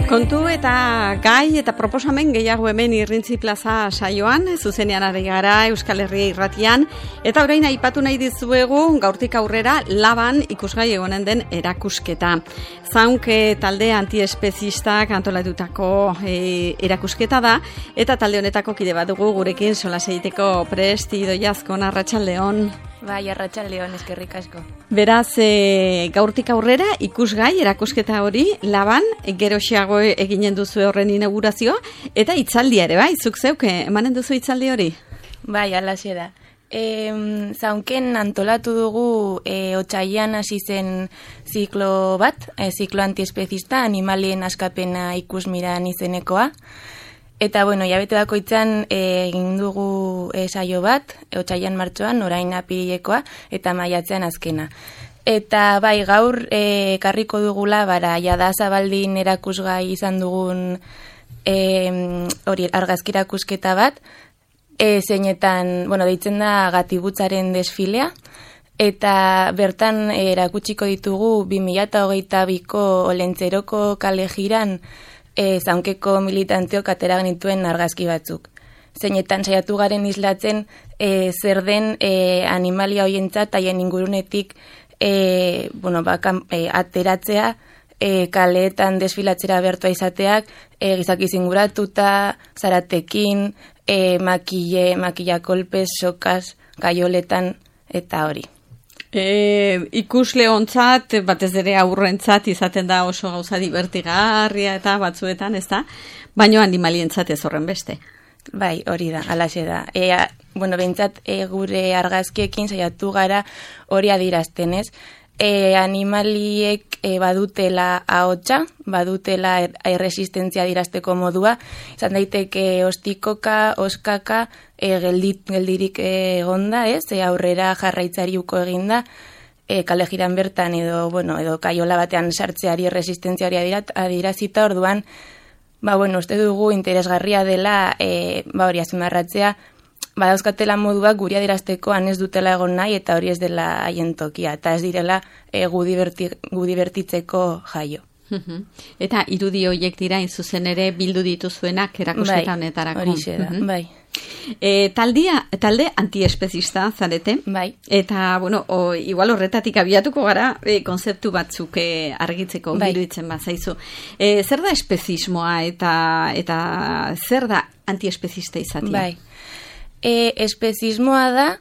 Kontu eta gai eta proposamen gehiago hemen Irrintzi Plaza saioan, zuzenean ari gara Euskal Herria irratian, eta orain aipatu nahi dizuegu gaurtik aurrera Laban ikusgai egonen den erakusketa. Zaunk talde antiespezistak antolatutako erakusketa da, eta talde honetako kide bat dugu gurekin solas egiteko prest. Idoia Azkona, arratsaldeon. Bai, arratsaldeon, eskerrik asko. Beraz, gaurtik aurrera ikusgai erakusketa hori Laban geroxeago eginen duzu horren inaugurazioa, eta hitzaldia ere, bai, zuk zeuk emanen duzu hitzaldi hori? Bai, alaxe da. Zaunken antolatu dugu otsailean hasi zen ziklo bat, ziklo antiespezista, animalien askapena ikusmiran izenekoa. Eta, bueno, jabete bakoitzan egin dugu saio bat, otsailean martxoan, orain apirilekoa, eta maiatzean azkena. Eta bai, gaur karriko dugula, jada Zabaldin erakusgai izan dugun hori argazki erakusketa bat, zeinetan, bueno, deitzen da Gatibutzaren desfilea, eta bertan erakutsiko ditugu 2022ko Olentzeroko kale jiran Zaunkeko militanteok atera genituen argazki batzuk. Zeinetan saiatu garen islatzen zer den animalia hoientzat haien ingurunetik ateratzea, kaleetan desfilatzera bertua izateak, gizaki zinguratuta, zaratekin, makilla kolpez, sokaz, gaioletan, eta hori. Ikusle ontzat, batez ere aurrentzat izaten da oso gauza divertigarria eta batzuetan, ez da? Baina animalientzat ez horren beste. Bai, hori da, alaxe da. Behintzat gure argazkiekin saiatu gara hori adierazten, ez? Animaliek badutela ahotsa, badutela erresistentzia adierazteko modua, izan daiteke ostikoka, oskaka, geldirik egonda, ez? Aurrera jarraitzari uko eginda, kale jiran bertan edo kaiola batean sartzeari erresistentzia hori adierazita, orduan, uste dugu interesgarria dela hori azpimarratzea, badauzkatela moduak guri adierazteko ez dutela egon nahi eta hori ez dela haien tokia, eta ez direla gu divertitzeko jaio. Eta irudi horiek dira zuzen ere bildu dituzuenak erakusketa honetarako. Bai, horixe da, bai. Talde antiespezista zarete, bai. Eta, igual horretatik abiatuko gara konzeptu batzuk argitzeko iruditzen bazaizu. Zer da espezismoa eta zer da antiespezista izatea? Bai. Espezismoa da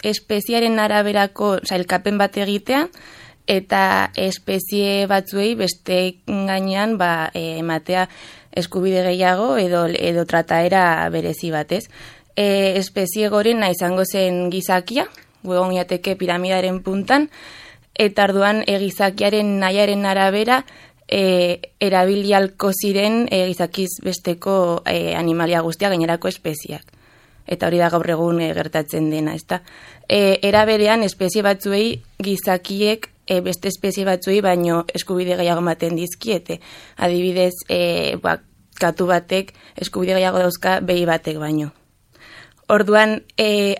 espeziaren araberako elkapen bat egitea, eta espezie batzuei beste gainean ematea eskubide gehiago edo trataera berezi batez. Espezie gorena izango zen gizakia, egon jateke piramidaren puntan, eta orduan gizakiaren nahiaren arabera erabilialko ziren gizakiz besteko animalia guztia gainerako espeziak. Eta hori da gaur egun gertatzen dena, ezta? Era berean espezie batzuei gizakiek beste espezie batzuei baino eskubide gehiago ematen dizkiete. Adibidez, katu batek eskubide gehiago dauzka behi batek baino. Orduan,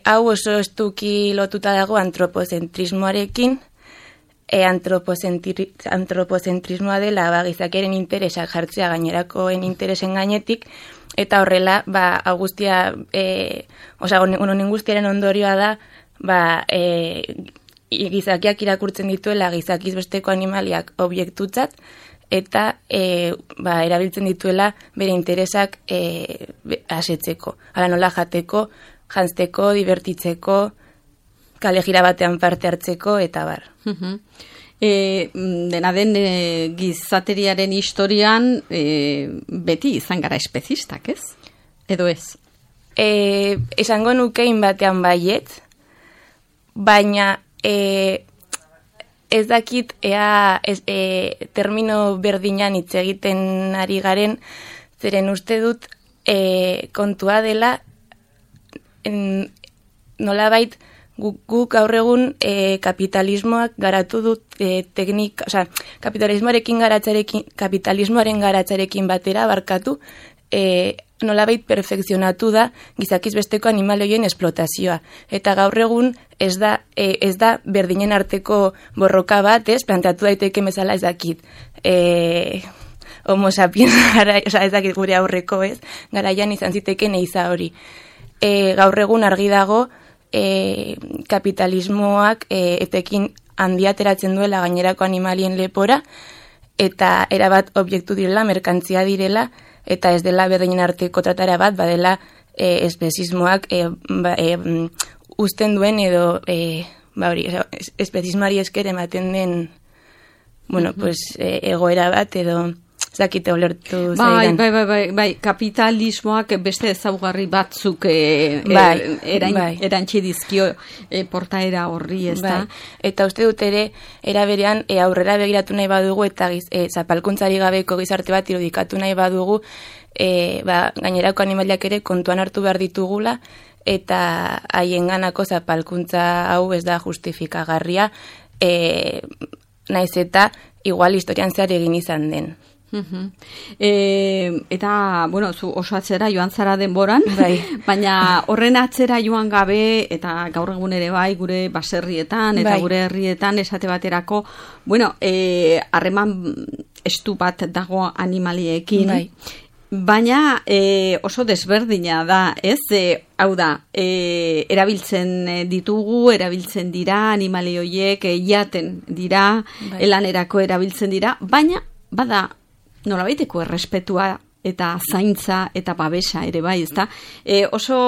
hau oso estuki lotuta dago antropozentrismoarekin, antropozentrismoa dela gizakiaren interesak jartzea gainerakoen interesen gainetik, eta horrela, guztiaren ondorioa da, gizakiak irakurtzen dituela gizakiz besteko animaliak objektutzat, eta erabiltzen dituela bere interesak asetzeko. Hala nola jateko, jantzteko, divertitzeko, kale jira batean parte hartzeko, eta bar. Dena den gizateriaren historian beti izan gara espezistak, ez? Edo ez? Esango nukein batean baiet, baina ez dakit termino berdinan hitz egiten ari garen, zeren uste dut kontua dela nolabait guk gaur egun kapitalismoak garatu dut kapitalismoaren garatzarekin batera barkatu nolabait perfekzionatu da gizakiz besteko animalioien esplotazioa. Eta gaur egun ez da berdinen arteko borroka bat, planteatu daiteke bezala ez dakit. Homo sapiens ez dakit gure aurreko, garaian izan ziteken eiza hori. Gaur egun argi dago kapitalismoak etekin handia ateratzen duela gainerako animalien lepora, eta erabat objektu direla, merkantzia direla, eta ez dela berdinen arteko tratara bat, badela espezismoak usten duen edo espezismoari esker ematen den egoera bat edo zakite ulertu zaidan. Bai, kapitalismoak beste ezaugarri batzuk erantzi dizkio portaera horri, ez da? Eta uste dut ere, era berean aurrera begiratu nahi badugu eta zapalkuntzari gabeko gizarte bat irudikatu nahi badugu, gainerako animaliak ere kontuan hartu behar ditugula, eta haienganako zapalkuntza hau ez da justifikagarria, naiz eta igual historian zehar egin izan den. Eta, zu oso atzera joan zara denboran, baina horren atzera joan gabe, eta gaur egun ere bai, gure baserrietan, eta gure herrietan esate baterako, harreman estu bat dago animaliekin, baina oso desberdina da, ez? Hau da, erabiltzen dira animali horiek, jaten dira, lanerako erabiltzen dira, baina bada nolabaiteko errespetua eta zaintza eta babesa ere bai, ezta? Oso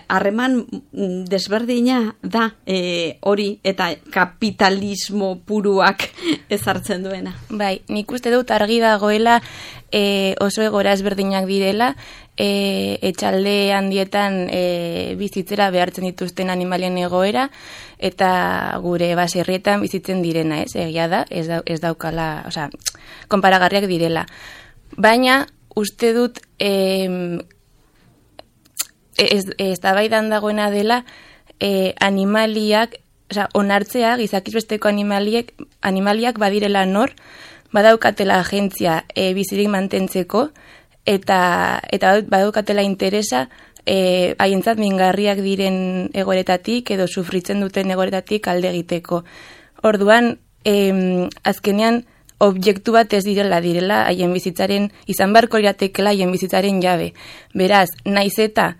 harreman desberdina da hori eta kapitalismo puruak ezartzen duena. Bai, nik uste dut argi dagoela oso egoera ezberdinak direla, etxalde handietan bizitzera behartzen dituzten animalien egoera, eta gure baserrietan bizitzen direna, egia da, ez daukala, konparagarriak direla. Baina, uste dut, eztabaidan dagoena dela, animaliak, onartzea, gizakiz besteko animaliak badirela nor, badaukatela agentzia bizirik mantentzeko, eta badaukatela interesa haientzat mingarriak diren egoeretatik edo sufritzen duten egoeretatik alde egiteko. Orduan, azkenean, objektu bat ez direla haien bizitzaren, izan beharko iratekela haien bizitzaren jabe. Beraz, naiz eta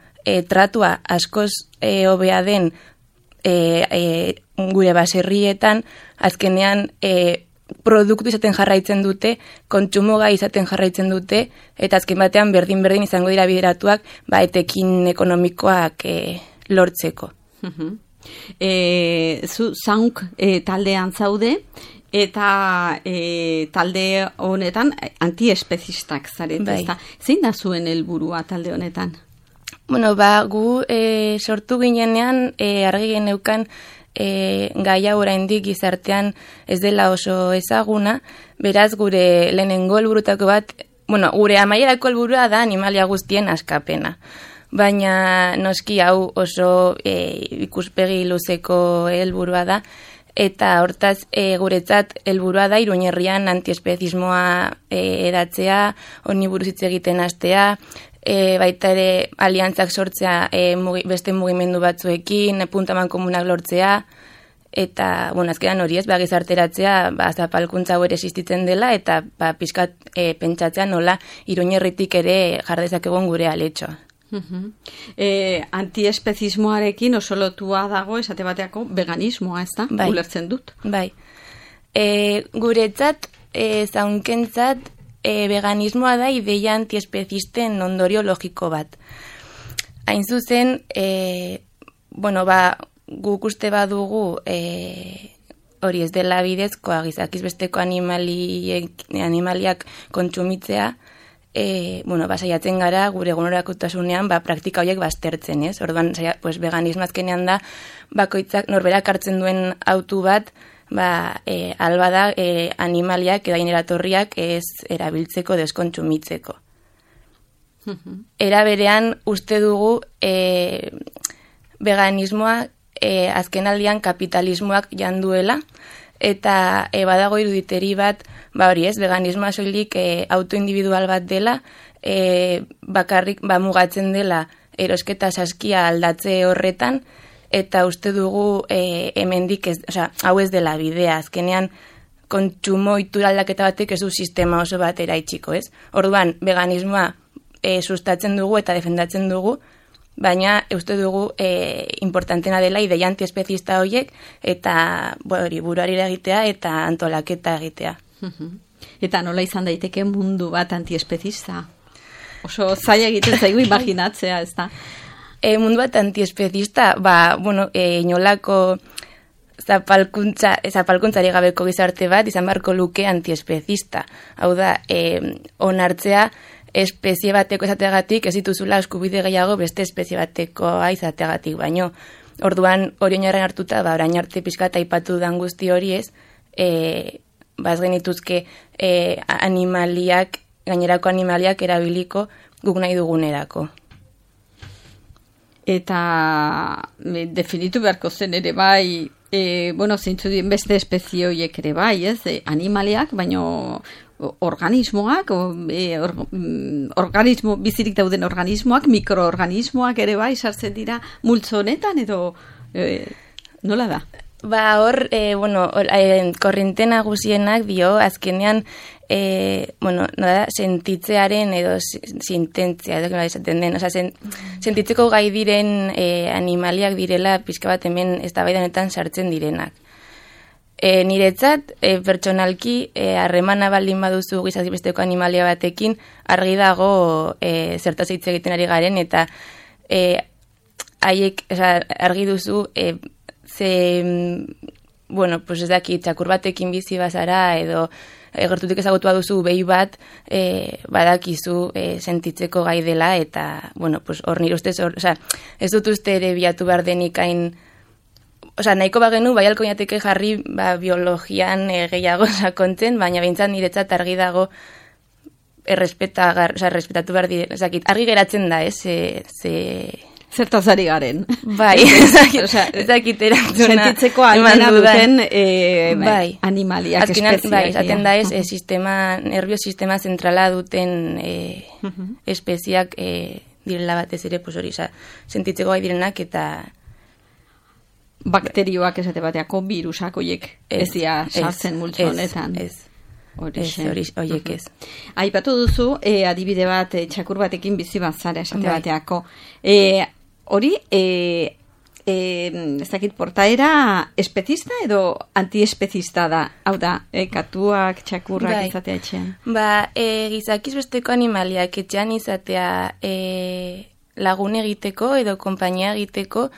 tratua askoz hobea den gure baserrietan, azkenean produktu izaten jarraitzen dute, kontsumoga izaten jarraitzen dute, eta azken batean berdin izango dira bideratuak, etekin ekonomikoak lortzeko. Zu zaunk taldean zaude, eta talde honetan antiespezistak zarete, ezta? Zein da zuen helburua talde honetan? Gu sortu ginenean argi geneukan gaia oraindik gizartean ez dela oso ezaguna, beraz gure lehenengo helburutako bat, gure amaierako helburua da animalia guztien askapena. Baina noski hau oso ikuspegi luzeko helburua da, eta hortaz guretzat helburua da Iruña herrian antiespezismoa edatzea, honi buruz hitz egiten hastea, baita ere aliantzak sortzea beste mugimendu batzuekin, puntaman komunak lortzea, eta, azkenan hori ez, gizarteratzea, zapalkuntza hau ere existitzen dela, eta pixkat pentsatzea nola Iruña herritik ere jardezakegon gure aletxoa. Antiespezismoarekin oso lotua dago esate bateako veganismoa, ez da? Ulertzen dut. Bai. Guretzat, zaunkentzat, veganismoa da ideia antiespezisten ondorio logiko bat. Hain zuzen, guk uste badugu hori ez dela bidezkoa gizakiz besteko animaliak kontsumitzea, saiatzen gara gure egunerakotasunean praktika horiek baztertzen, ez? Orduan, veganismo azkenean da bakoitzak norberak hartzen duen autu bat, alba da animaliak edo eratorriak ez erabiltzeko, deskontsumitzeko. Era berean uste dugu veganismoa azken aldian kapitalismoak janduela, eta badago iruditeri bat, hori ez, veganismoa soilik autoindividual bat dela, bakarrik mugatzen dela erosketa saskia aldatze horretan, eta uste dugu hemendik hau ez dela bidea, azkenean kontsumo itura aldaketa batek ez du sistema oso bat eraitsiko, ez? Orduan, veganismoa sustatzen dugu eta defendatzen dugu, baina uste dugu importantena dela ideia antiespezista horiek eta buruari egitea eta antolaketa egitea. Eta nola izan daiteke mundu bat antiespezista? Oso zaila egiten zaigu imaginatzea, ez da? Mundu bat antiespezista, inolako zapalkuntzari gabeko gizarte bat izan beharko luke antiespezista. Hau da, onartzea espezie bateko izateagatik ez dituzula eskubide gehiago beste espezie batekoa izateagatik, baino orduan hori oinarren hartuta, orain arte pixka eta aipatu dan guzti hori ez, ez genituzke gainerako animaliak erabiliko guk nahi dugunerako. Eta definitu beharko zen ere bai, zeintzu dien beste espezie horiek ere bai, ez? Animaliak, baino organismoak, bizirik dauden organismoak, mikroorganismoak ere bai, sartzen dira multzo honetan, edo nola da? Hor, korrinte nagusienak dio, azkenean, sentitzearen edo sintentzia, edo esaten den, sentitzeko gai diren animaliak direla pixka bat hemen eztabaidanetan sartzen direnak. Niretzat, pertsonalki, harremana baldin baduzu gizazibesteko animalia batekin, argi dago zertaz hitz egiten ari garen, eta haiek argi duzu ez daki, txakur batekin bizi bazara, edo gertutik ezagutua duzu behi bat, badakizu sentitzeko gai dela, eta, hor nire ustez, ez dut uste ere bilatu behar denik hain, nahiko bagenu, bai alko inateke jarri biologian gehiago sakontzen, baina behintzat niretzat argi dago errespetatu behar dire, argi geratzen da, zertaz ari garen. Bai, ezakit erantzuna. Sentitzeko almena duten animaliak espeziak. Bai, esaten da nervio sistema zentrala duten espeziak direla batez ere, hori, sentitzeko gai direnak eta bakterioak esate bateako virusak horiek ez dira sartzen multzo honetan. Horiek ez. Aipatu duzu, adibide bat, txakur batekin bizi bazara esate bateako. Hori, ez dakit portaera espezista edo antiespezista da? Hau da, katuak, txakurrak izatea etxean. Gizakiz besteko animaliak etxean izatea lagun egiteko edo konpainia egiteko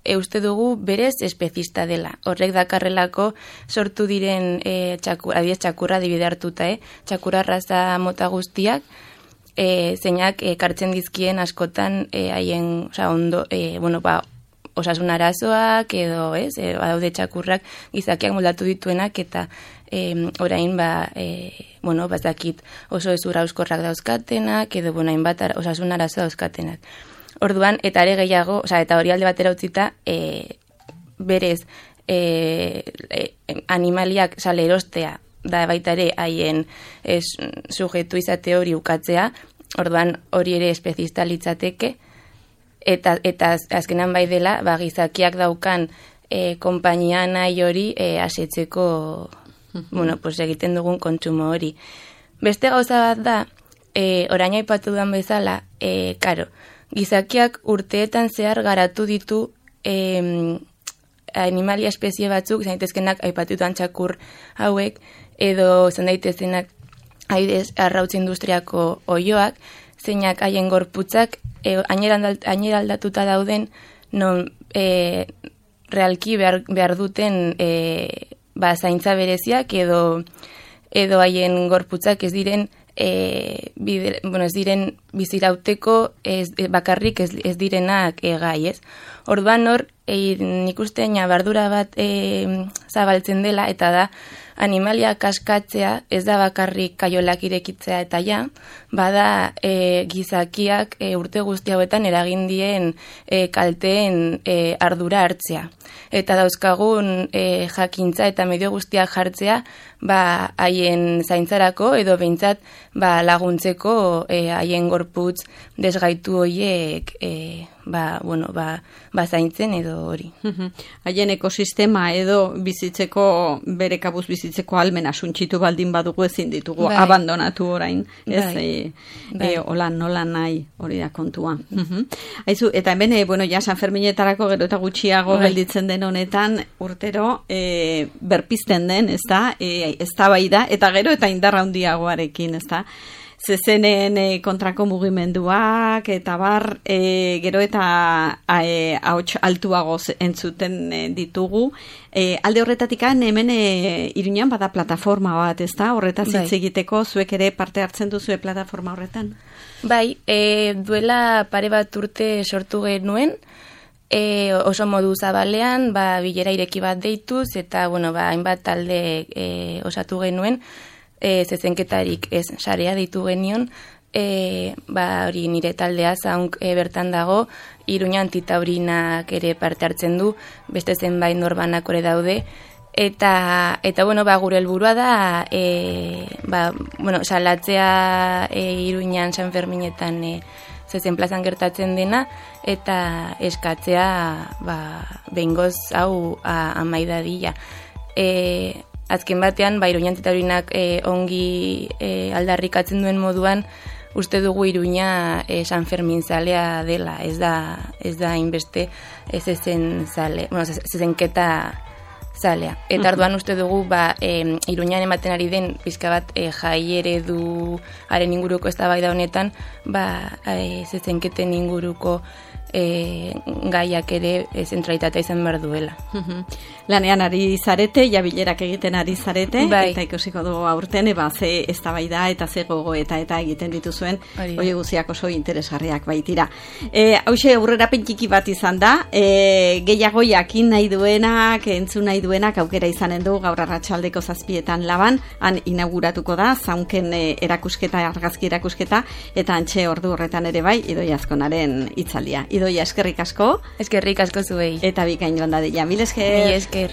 uste dugu berez espezista dela. Horrek dakarrelako sortu diren txakurra adibide hartuta, txakurra raza mota guztiak, zeinak kartzen dizkien askotan haien osasun arazoak edo badaude txakurrak gizakiak moldatu dituenak eta orain bazakit oso ezura euskorrak dauzkatenak edo hainbat osasun arazo dauzkatenak. Orduan, eta ere gehiago, eta hori alde batera utzita, berez animaliak erostea da baita ere haien sujetu izate hori ukatzea, orduan hori ere espezista litzateke, eta azkenan bai dela, gizakiak daukan konpainia nahi hori asetzeko, egiten dugun kontsumo hori. Beste gauza bat da, orain aipatu duan bezala, gizakiak urteetan zehar garatu ditu animalia espezie batzuk, izan daitezkenak aipatutan txakur hauek, edo izan daitezenak arrautz industriako oioak, zeinak haien gorputzak hainera aldatuta dauden, non realki behar duten zaintza bereziak, edo haien gorputzak ez diren ez diren bizirauteko bakarrik ez direnak gai, ez? Orduan hor, nik uste bardura bat zabaltzen dela, eta da, animaliak askatzea ez da bakarrik kaiolak irekitzea eta ja, bada gizakiak urte guzti hauetan eragindien kalteen ardura hartzea. Eta dauzkagun jakintza eta medio guztiak jartzea haien zaintzarako edo behintzat laguntzeko haien gorputz desgaitu horiek zaintzen edo hori. Haien ekosistema edo bizitzeko, bere kabuz bizitzeko almena suntxitu baldin badugu ezin ditugu abandonatu orain. Hola nola nahi hori da kontua. Aizu, eta hemen, San Ferminetarako gero eta gutxiago gelditzen den honetan urtero berpizten den, ez da, eztabaida eta gero eta indarra handiagoarekin, ez da. Zezenen kontrako mugimenduak eta gero eta ahots altuagoz entzuten ditugu. Alde horretatik hemen Iruñan bada plataforma bat, ez da? Horretaz hitz egiteko zuek ere parte hartzen duzue plataforma horretan? Bai, duela pare bat urte sortu genuen, oso modu zabalean, bilera ireki bat deituz, eta hainbat talde osatu genuen, zezenketarik ez sarea ditu genion, hori nire taldea zaunk bertan dago, Iruña Antitaurinak ere parte hartzen du, beste zenbait norbanak ore daude, eta gure helburua da, salatzea Iruñan San Ferminetan zezen plazan gertatzen dena, eta eskatzea behingoz hau amaidadila. Azken batean, Iruña Antitaurinak ongi aldarrikatzen duen moduan, uste dugu Iruña San Fermin zalea dela, ez da inbeste zezenketa zalea. Eta orduan uste dugu, Iruñan ematen ari den pizka bat jai eredu haren inguruko eztabaida honetan, zezenketen inguruko gaiak ere zentralitatea izan behar duela. Lanean ari zarete, bilerak egiten ari zarete, eta ikusiko dugu aurten, ze eztabaida eta ze gogoeta eta egiten dituzuen, hori guziak oso interesgarriak baitira. Hauxe, aurrerapen txiki bat izan da, gehiago jakin nahi duenak, entzun nahi duenak, aukera izanen du gaur arratsaldeko 7:00 Laban, han inauguratuko da, zaunken erakusketa, argazki erakusketa, eta antxe ordu horretan ere bai, Idoia Azkonaren hitzaldia. Idoia, eskerrik asko. Eskerrik asko zuei. Eta bikain joan dadila. Mil esker. Mil esker.